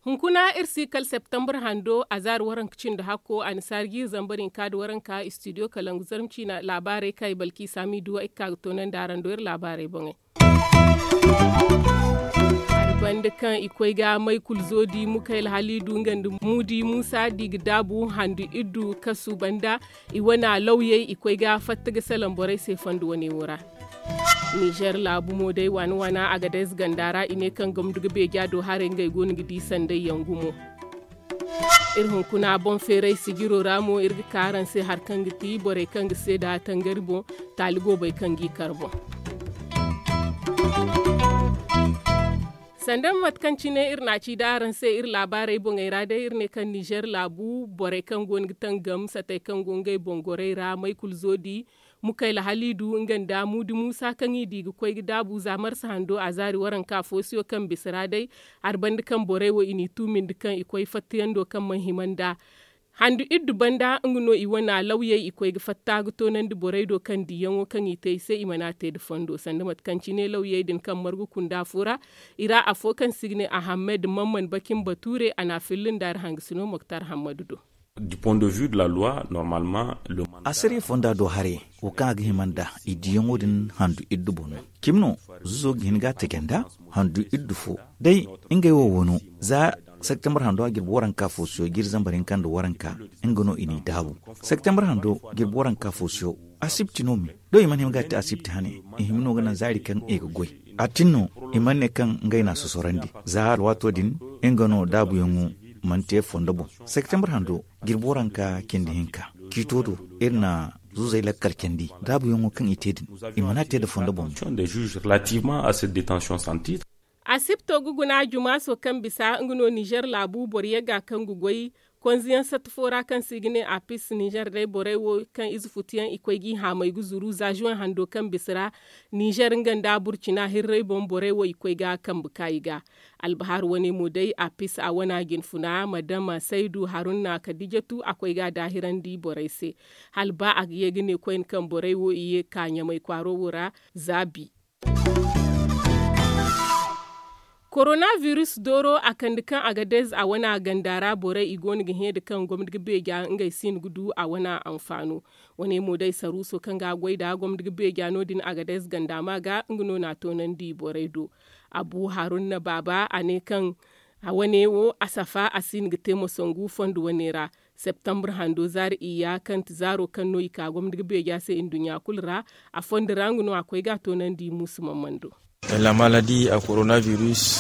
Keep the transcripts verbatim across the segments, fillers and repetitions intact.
Hunkuna iri si kala septembre hando a zaari waranka cindi hakko a na saari jiiri zambar hinka nda waranka istidiyo kalangu zarma ciina laabaarey kaŋ i balki saami duwa i ga ka ga toonandi araŋ do iri laabaarey boŋey. Hari banda kaŋ i koy ga maykul zoodi mukayla haliidu nga nda muudi muusa di ga daabu handu iddu kasu banda i wana lawyey i koy ga fatta ga salaŋ borey se fondo wane wo ra. Nizer laabu mo day waana waana a ga day ze ganda ra i ne kaŋ gamdu ga beeja do haray ngey go no ga di sanday yaŋ gumo. Iri hunkuna boŋ feeray sijiro ra mo iri ga ka araŋ se hari kaŋ ga ti borey kaŋ ga seeda tangari boŋ taali goobey kaŋ g'i kar boŋ. Sanda mate kaŋ cine iri n'a ci da araŋ se iri laabaarey boŋey ra day iri ne kaŋ nizer laabu borey kaŋ go no ga tangam satey kaŋ go ngey boŋ gorey ra maykul zoodi mukayla haliidu nga nda muudi muusa kaŋ i di ga koy ga daabu za marsa hando a zaari waranka foosuyo kaŋ bisa ra day hari banda kaŋ borey wo i n'i tuumindi kaŋ i koy fattayando kaŋ mana hima nd'a. Handu iddu banda nga no i wana lawyey i koy ga fatta ga toonandi borey do kaŋ diyaŋo kaŋ i te i se i mana te nda fondo sanda mate kaŋ cine lawyey din kaŋ margu kunda fo ra i ra afo kaŋ se i ga ne ahammed mamman bakin bature a n'a filla nda hari hangasino moktar hammadu do. Du point de vue de la loi normalement le mandat. Asariya fonda do haray wo kaŋ a ga hima nda i diyaŋo din handu iddu boŋ no. Cimi no zuzo ga hin ga a taji nda handu iddu fo day ngey wo wano za septembre hando a jirbi waranka foosiyo jiiri zambar hinka nda waranka nga no i n'i daabu. Septembre hando jirbi waranka foosiyo asibti no me do i mana hima ga a te asibti hane. I hima no ga naŋ zaari kaŋ i ga goy a tin no i mana ne kaŋ ngey n'a sosorandi za alwaato din nga no daabuyaŋo mana te fondo boŋ. Septembre hando jirbi waranka cindi hinka ciito do iri na zuzey lakkal candi daabuyaŋo kaŋ i te din i mana te nda fondo boŋ. Des juges relativement à cette détention sans titre. Asibto ga guna jumaaso kaŋ bisa nga no nizer laabu boro yagga kaŋ ga goy konziyaŋ satta fo ra kaŋ se i ga ne apis nizer day borey wo kaŋ ize futuyaŋ i koy g'i haamay ga zuru za zuwen hando kaŋ bisa ra nizer nga nda burcina hirrey boŋ borey wo i koy ga kambe ka i ga. Albahar wane mo day apis a wana jinfuna madama saydu haruna kadijatu a koy ga daahirandi borey se hala ba a ga ye ga ne koyne kaŋ borey wo i ye ga ka ɲamay kwaaro wo ra. Za bi. Koronavirus dooro a kande kaŋ a ga dayze a wana ganda ra borey i go no ga hẽ da kaŋ gomni ga beeja ngey si no ga du a wana anfaano. Wane mo day saruuso kaŋ ga a goy nd'a gomni ga beeja no- din a ga dayze ganda ma ga nga no n'a toonandi borey do. Abu haruna baaba a ne kaŋ a wane wo a safa a si no ga te mo sangu fondo wane ra. Septembre hando zaari iyya kaŋ ti zaaro kaŋ no i ka gomni ga beeja se nduɲɲa kulu ra. A fondo ra nga no a koy ga a toonandi muusu mamman do.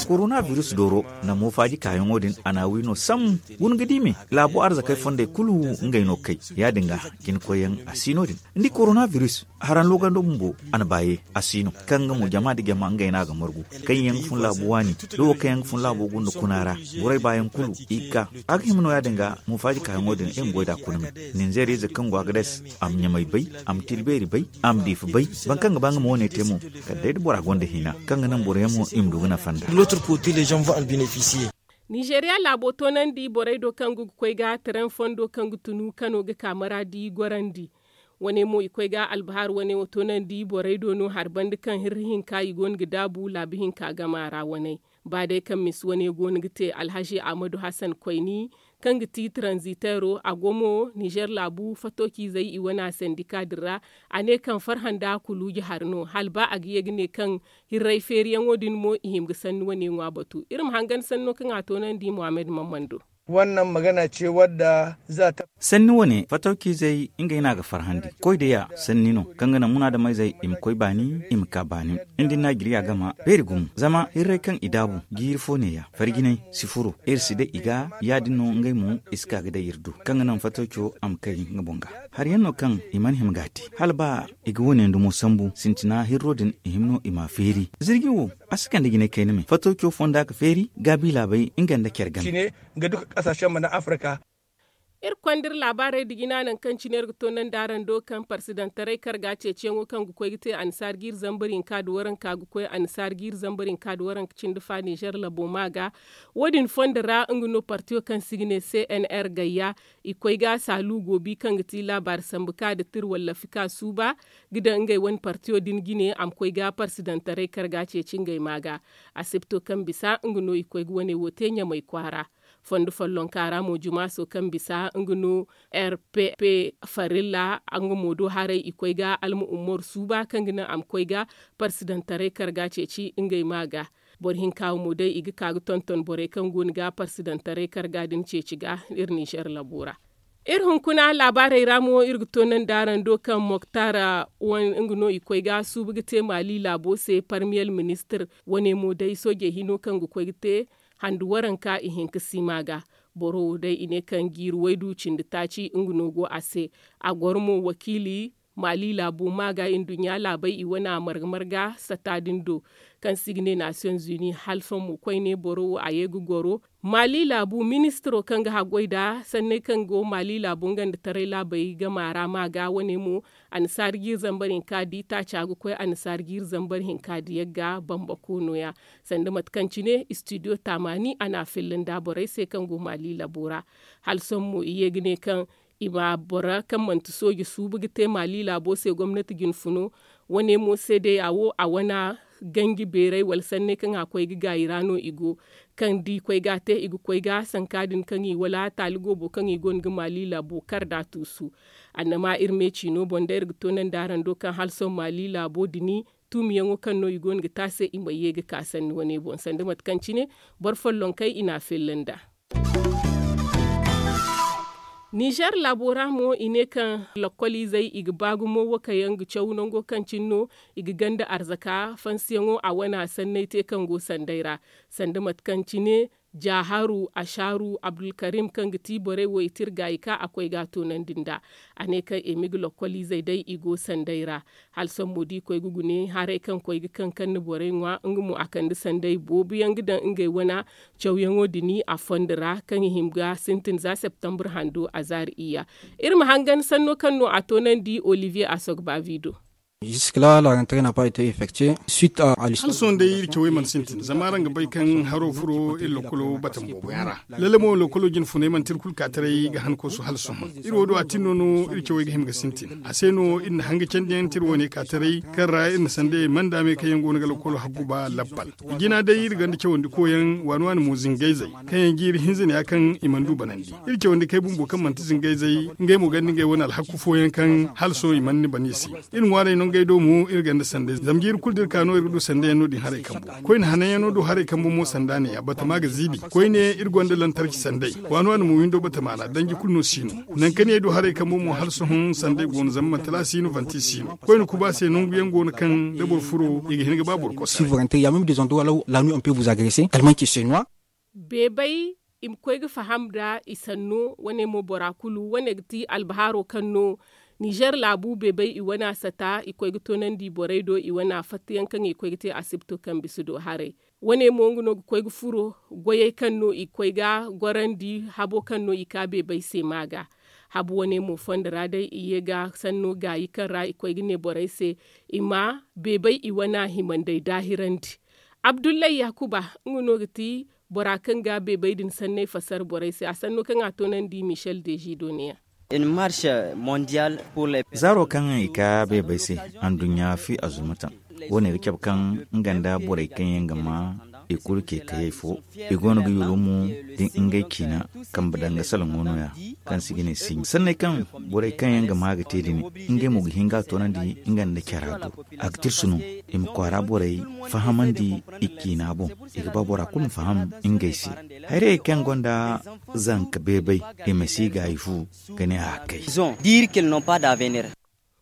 Koronavirus dooro na moofaaji kaayaŋo din a n'a wi no sam. Guna ga di me laabo arzakey fondey kulu ngey no kay. Ya- din ga jinkoyyaŋ a si no- din. Ni di koronavirus haraŋ loogando bumbo a na baaye a si no kaŋ nga mo jama nda jama ngey no a ga margu. Kaŋ yaŋ ga fun laabo waani da wo kaŋ yaŋ ga fun laabo gunda kuna ra. Borey baayaŋ kulu i ga ka a ga hima no ya- din ga moofaaji kaayaŋo din i ma goy nd'a kuna me. Ninzeer ize kaŋ go a ga dase a ma ɲamay bay, a ma tira beeri bay, a ma diifa bay. Boro kaŋ ga ba nga ma wane te mo kala day da bora gonda hina kaŋ ga naŋ boroyaŋ mo i ma du ga nafa nd'a. Nizeeriya laabo toonandi borey do kaŋ ga koy ga taraŋ fondo kaŋ ga tunu kano ga ka maraadi gorandi. Wane mo i koy ga albahar wane wo toonandi borey do no hari banda kaŋ hirri hinka i go no ga daabu laabi hinka gama ra waney. Ba day kaŋ misi wane go no ga te alhazi ahmadu hasan koyni kaŋ ga ti taranziteero a go mo nizer laabu fatooci izey i wane a sandika din ra. A ne kaŋ farhã nda kuluuji hari no hala ba a ga ye ga ne kaŋ hirray feeriyaŋo din mo i hima ga sanni wane ŋwa batu iri ma hangan sanno kaŋ a toonandi muhammad mammando. Sanni wane fatawciizey ngey no a ga farhandi koy day a sanni no kaŋ ga naŋ munaadameyzey i ma koy baani i ma ka baani. Ni di naajiriya gama beeri gumo zama hirray kaŋ i daabu jiiri fo neeya farjinay si furo iri si day i ga. Ya- din no ngey mo i si ka ga day iri do kaŋ ga naŋ fatawco a ma kay nga boŋ ga. Hari yaŋ no kaŋ i mana hima ga a te hala ba i ga wane ndumo sambu sintina hirro din i hima no i m'a feeri. Zirji wo a si kande jinay kayna me fatawco fonda ga feeri gaabi laabey nga nda care game. Nga duka kasaashen mana afirka. Iri konda iri laabaarey nda jina nangu kaŋ cine iri ga toonandi araŋ do kaŋ parsidantaray karga ceeciyaŋo kaŋ ga koy ga te annasaara jiiri zambar hinka nda waranka ga koy annasaara jiiri zambar hinka nda waranka cindi fa nizer labo ma ga. Wo- din fondo ra nga no partiyo kaŋ se i ga ne cnr gayya, i koy ga saalu goobi kaŋ ga ti laabaari sambu ka nda tira wallaafi ka suuba ga daŋ ngey wane partiyo din jine a ma koy ga parsidantaray karga ceeci ngey ma ga. Asibto kaŋ bisa nga no i koy ga wane wo te ɲamay kwaara. Fondo follonka ra mo jumaaso kaŋ bisa nga no rpp farilla nga mo do haray i koy ga alma ummor suuba kaŋ ga naŋ a ma koy ga parsidantaray karga ceeci ngey ma ga. Boro hinka wo mo day i ga ka ga tonton borey kaŋ go no ga parsidantaray karga din ceeci ga iri ninzer labo ra. Iri hunkuna laabaarey ra mo iri ga toonandi araŋ do kaŋ moktar nga no i koy ga suubu ga te maali laabo se parmiyel ministir. Wane mo day soojey hino kaŋ ga koy ga te handu waranka ihinka si ma ga. Boro wo day i ne kaŋ jiiri waydu cindi taaci nga no go a se. A goro mo wakiili maali laabo ma ga nduɲɲa laabey i wane a marga marga sata din do kaŋ se i ga ne nasiyoŋ zuni hala sohõ mo koyne boro wo a ye ga goro maali laabu ministiro kaŋ ga haggoy nd'a sanney kaŋ go maali laabu nga nda taray laabey gama ra ma ga wane mo. Annasaara jiiri zambar hinka di taaca ga koy annasaara jiiri zambar hinka di yagga bambako no- ya. Sanda mate kaŋ cine istidiyo taamaani a n'a filla nda borey se kaŋ go maali laabo ra. Hala sohõ mo i ye ga ne kaŋ i ma bora kaŋ manti sooje suubu ga te maali laabo se gomnati jinfuno. Wane mo seedeya wo a wane ganji beeray wala sanney kaŋ a koy ga gaayi ra no i go. Kaŋ da i koy ga a te i ga koy ga sanka din kaŋ i wala taali goobo kaŋ i gonda ga maali laabo kar nd'a tuusu. Annama iri me ciino boŋ day iri ga toonandi araŋ do kaŋ hala sohõ maali laabo dini tuumiyaŋo kaŋ no i go no ga te a se i ma ye ga ka sanni wane boŋ sanda mate kaŋ cine boro follonkey i n'a filla nd'a. Nizer laabo ra mo i ne kaŋ lokkoliizey i ga ba gumo wakayaŋ ga caw nango kaŋ cine no i ga ganda arzaka fansiyaŋo a wane a sanney te kaŋ go sanday ra. Sanda mate kaŋ cine jaaharu ashaaru abdulkarim kaŋ ga ti borey wo i tira gaayi ka a koy ga a toonandi nd'a. A ne kaŋ i ma i ga lokkoliizey day i go sanday ra. Hala sohõ mo da i koy ga gune haray kaŋ koy ga kaŋ kaŋ na borey ŋwa nga mo a kande sanday boobo yaŋ ga daŋ ngey wane cawyaŋo din a fondo ra kaŋ i hima ga sintin za septambur hando a zaari iyya. Iri ma hangan sanno kaŋ no a toonandi olivier asogbavi do. Hala sohõ day iri cawey mana sintin zama araŋ ga bay kaŋ haro furo iri lokkolo batan boobo yaŋ ra. Lalle mo lokkolo jinfuney manti iri kulu ka taray ga han koosu hala sohõ. Iri wo do a tin no no iri cawey ga hima ga sintin a se no iri na hanga candiyaŋ te iri wane ka taray kaŋ ra iri na sandayey manda me kaŋ yaŋ go no ga lokkolo haggu ba labbal. Jina day iri gonda cawandi koyaŋ waani waani mo zingayzey kaŋ yaŋ jiiri hinza ne ya kaŋ i mana du banandi. Iri cawandi kay bumbo kaŋ manti zingayzey ngey mo gonda ngey wane alhakku fooyaŋ kaŋ hala sohõ i mana ni ban i se. Iri ŋwaarey no ngey do mo iri gonda sanday zama jiiri kulu da iri ka no iri ga du sanday yaŋ no- din haray kambo. Koyne hanan yaŋ no do haray kambo mo sanda ne ya batama ga ziibi koyne iri gonda lantarki sanday waani waani mo windo batama ra danji kulu no si no. Nangu kaŋ ne du haray kambo mo hala sohõ sanday go no zama manti laasi no vanti si no koyne kuba se nangu yaŋ go no kaŋ da boro furo i ga hin ga ba boro kosa. Beebay i ma koy ga faham nda i sanno wane mo bora kulu wane ga ti albahaaro kaŋ no nizer laabu beebay i wane a sata i koy ga toonandi borey do i wane a fatta yaŋ kaŋ i koy ga te asibto kaŋ bisa do haray. Wane mo nga no ga koy ga furo goyey kaŋ no i koy ga gorandi habo kaŋ no i ka beebay se ma ga. Habu wane mo fondo ra day i ye ga sanno gaayi kaŋ ra i koy ga ne borey se i ma beebay i wane a himandey daahirandi. Abdullahi yaakuba nga no ga ti bora kaŋ ga beebay din sanney fasar borey se a sanno kaŋ a toonandi michel dezido ne- ya. Zaaro kaŋ i ka beebay se anduɲɲa fi azumatan wo- ne ga cabe kaŋ nga nda borey kaŋ yaŋ ga ma i kulu ce kayey fo i go no ga yulumu da ngey ciina kambe danga salaŋo no- ya kaŋ se i ga ne siɲi sanney kaŋ borey kaŋ yaŋ ga ma ga te din ngey mo ga hin ga a toonandi nga nda cara do. A ga tirsu no i ma kwaara borey fahamandi i ciina boŋ i ga ba bora kulu ma faham ngey se. Hayrayey kaŋ gonda zanka beebay i ma si gaayi fu ga ne a kay.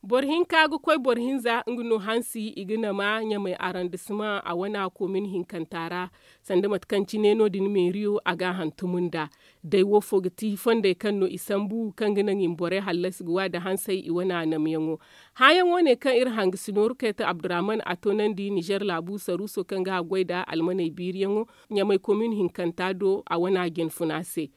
Boro hinka ga koy boro hinza nga no hansi i ga nama ɲamay arandisima a wana komin hinkanta ra. Sanda mate kaŋ cine no- din meeriyo a ga a hantum nd'a. Day wo fo ga ti fondey kaŋ no i sambu kaŋ ga naŋ i ma borey hallasi ga wa nda hansey i wane a namyaŋo. Hãayaŋo ne kaŋ iri hangasino rukayta abdurrahman a toonandi nizer laabu saruuso kaŋ ga haggoy nda almaney biiriyaŋo ɲamay komin hinkanta do a wane a jinfuna se.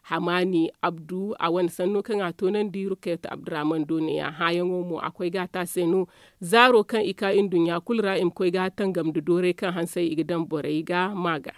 Hamaani abdu a wane sanno kaŋ a toonandi rukayat abdurrahman do neeya hãayaŋo mo a koy ga a te a se no. Zaaro kaŋ i ka nduɲɲa kulu ra i ma koy ga tangam nda dooray kaŋ hansey i ga daŋ borey ga ma ga.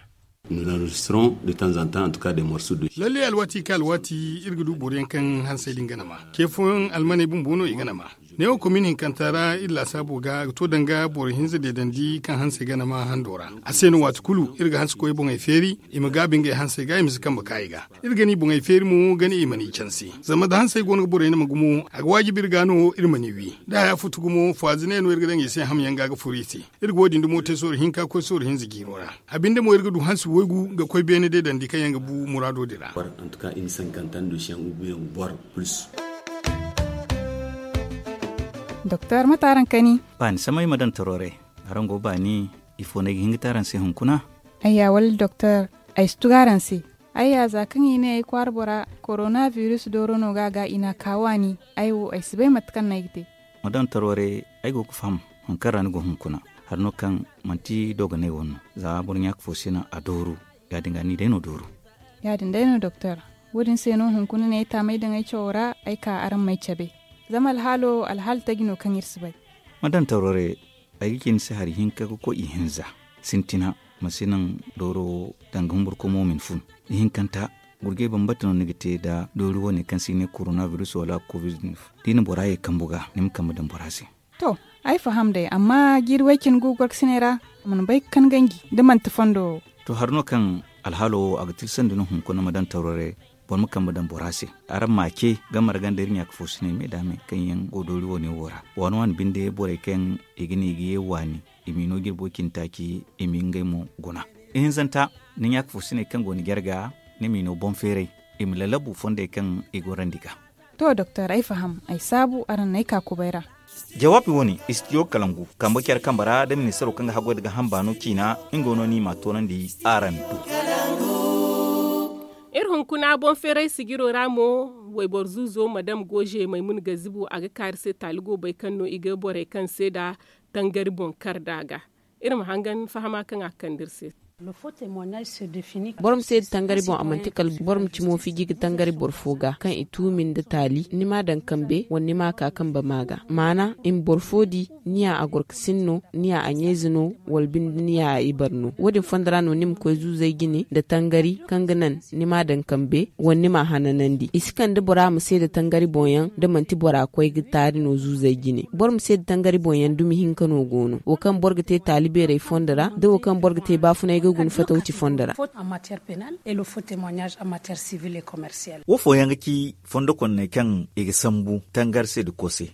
Lalle alwaati kaŋ alwaati iri ga du boro yaŋ kaŋ hansey din ga nama ce fooyaŋ almaney bumbo no i ga nama. Neewo komin hinkanta ra iri laasaabo ga a ga to danga boro hinza deedandi kaŋ hansey ga nama hando ra. A se no waati kulu iri ga hanse koy boŋey feeri i ma gaabi ngey hansey ga i ma si kambe ka i ga. Iri ga ni boŋey feeri mo ga ni i mana i canse. Zama da hansey go no ga borey nama gumo a ga waajibi iri ga no iri mana i wi. Da haya futu gumo faazi ne no iri ga daŋ i se hamyaŋ ga ga furu i se. Iri ga wo- din dumo te sooro hinka koy sooro hinza jiiro ra. A binde mo iri ga du hansi waygu ga koy beene deedandi kaŋ yaŋ ga bu muraado din ra. Doktor mate araŋ kani? Baani samay ma daŋ taro re. Araŋ go baani? Ifo no ay ga hin ga te araŋ se hunkuna? Ayya wala doktor, ay si tugu araŋ se. Ayya za kaŋ i ne ay kwaara bora korona biris dooro no ga a ga i n'a ka waani. Ay wo ay si bay mate kaŋ no ay ga te. Ma daŋ taro re. Ay go ga faham hari kaŋ ra ni go hunkuna. Hari no kaŋ manti dooganay wo no. Za boro ɲaaka fo se no a dooru. Ya- din ga ni day no dooru. Ya- din day no doktor. Wo- din se no hunkuna no ay taamay daŋ ay cawo ra ay ka araŋ m'ay cabe. Zama alhaalo alhaali taji no kaŋ iri si bay. Ma daŋ taro re. Ay ga ci ni se hari hinka ga koy ihinza. Sintina ma si naŋ dooro wo danga humbur komo ma ni fun. Ihinkanta gurjay bambata no ni ga te nda doori wo- ne kaŋ se i ne korona biris wala covid-19. Da i na bora ye kambu ga ni ma kambe daŋ bora se. To, ay faham day amma jiiri way- cine go gorkasiney ra. A mana bay ga kan ganji da manti fondo wo. To hari no kaŋ alhaalo wo a ga tilsandi no hunkuna ma daŋ taro re. Boro ma kambe daŋ bora se. Araŋ m'a ce gamar ganda iri ɲaaka fo siney me da me kaŋ yaŋ go doori wo- ne wo ra waani waani binde borey kaŋ i ga ne i ga ye waani. I m'i no jirbo cine taaci i m'i ngey mo guna. Ihinzanta ni ɲaaka fo siney kaŋ go ni jarga ni m'i no boŋ feeray. I ma lalabu fondey kaŋ i gorandi ga. To doktor ay faham ay saabu araŋ n'ay ka kubay ra. Jawaabi wo- ne istidiyo kalangu kambe care kambe ra da ministaro kaŋ ga haggoy nda ga hamba no ciina. Nga no no i m'a toonandi araŋ do. Iri hunkuna boŋ feeray sijiro ra mo. Wayboro zuuzo madam gooze maymun gazibu a ga kaari se taali go bay kaŋ no i ga borey kaŋ seeda tangari boŋ kar nd'a ga. Iri ma hangan fahama kaŋ a ga kande iri se. Boro ma seeda tangari boŋ a manti kala boro ma cimo fiji ga tangari boro fo ga kaŋ i tuumi nda taali ni m'a daŋ kambe wala ni m'a ka kambe ma ga maana i ma boro fo di. Ni ya a gorkasin no ni ya a ɲayze no wala binde ni ya a ibar no wo- din fondo ra no ni ma koy zuuzey jine nda tangari kaŋ ga naŋ ni m'a daŋ kambe wala ni m'a hananandi i si kande bora ma seeda tangari boŋ yaŋ da manti bora koy ga taari no zuuzey jine boro ma seeda tangari boŋ yaŋ dumi hinka no go no wo kaŋ boro ga te taali beerey fondo ra da wo kaŋ boro ga te baafunay ga guna fatawci fondo ra. Wo fooyaŋ ga ci fondo konney kaŋ i ga sambu tangari se nda koose.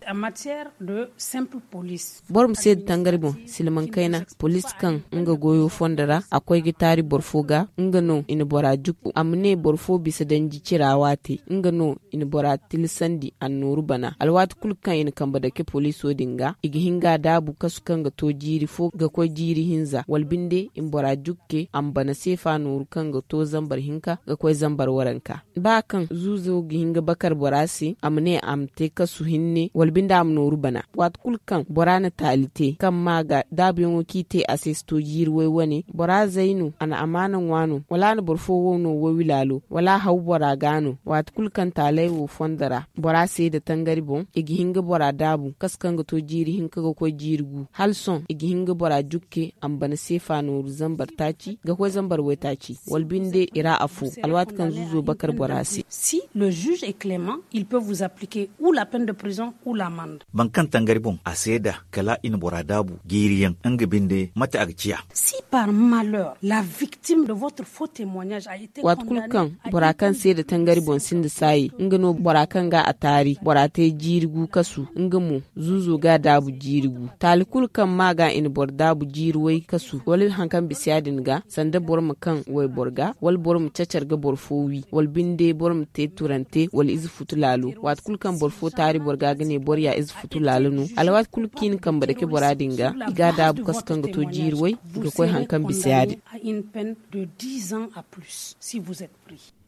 Boro ma seeda tangari boŋ silmaŋ kayna poliis kaŋ nga goyo fondo ra a koy ga taari boro fo ga nga no i na bora jukku a ma ne boro fo bisa danji cira waate nga no i na bora tilasandi annooru bana alwaati kulu kaŋ i na kambe dake poliiso din ga i ga hin ga a daabu kasu kaŋ ga to jiiri fo ga koy jiiri hinza wala binde i ma bora jukke a ma bana seefa nooru kaŋ ga to zambar hinka ga koy zambar waranka. Ba kaŋ zuuzo ga hin ga bakar bora se a ma ne a ma te kasu hinne wala binde a ma nooru bana waati kulu kaŋ bora na taali te kaŋ ma ga daabuyaŋo kaŋ i te a se si to jiiri way wane bora zay no a na amaana ŋwa no wala a na boro fo wow no wowi laalo wala a haw bora ga no waati kulu kaŋ taaley wo fondo ra bora seeda tangari boŋ i ga hin ga bora daabu kasu kaŋ ga to jiiri hinka ga koy jiiri gu hala sohõ i ga hin ga bora jukke a ma bana seefa nooru zambar taaci ga koy zambar waytaaci wala binde i ra afo alwaati kaŋ zuuzo bakar bora se. Si le juge est clement il peut vous appliquer ou la peine de prison ou l'amende. Boro kaŋ tangari boŋ a seeda kala i na bora daabu jiiriyaŋ nga binde mate a ga ciya. Si par malheur la victime de votre faux témoignage a été waati kulu kaŋ bora kaŋ seeda tangari boŋ sinda saayi nga no bora kaŋ ga a taari bora te jiiri gu kasu nga mo zuuzo ga a daabu jiiri gu taali kulu kaŋ ma ga i na boro daabu jiiri way kasu wala hari kaŋ bisa ya- din ga sanda boro ma kaŋ wayboro ga wala boro ma cacar ga boro fo wi wala binde boro ma te turante wala ize futu laalo waati kulu kaŋ boro fo taari boro ga ga ne boro ya ize futu laalo no alwaati kulu kaŋ i na kambe dake bora din ga i ga a daabu kasu kaŋ ga to jiiri way ga koy hari kaŋ bisa ya- din.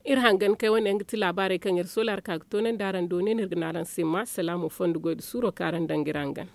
Iri hangan kay wane yaŋ ga ti laabaarey kaŋ iri soola ra ka ga toonandi araŋ do ne no iri ga ne araŋ se ma salaamo fondo goy nda suuro kaŋ araŋ daŋ ga iri hangan.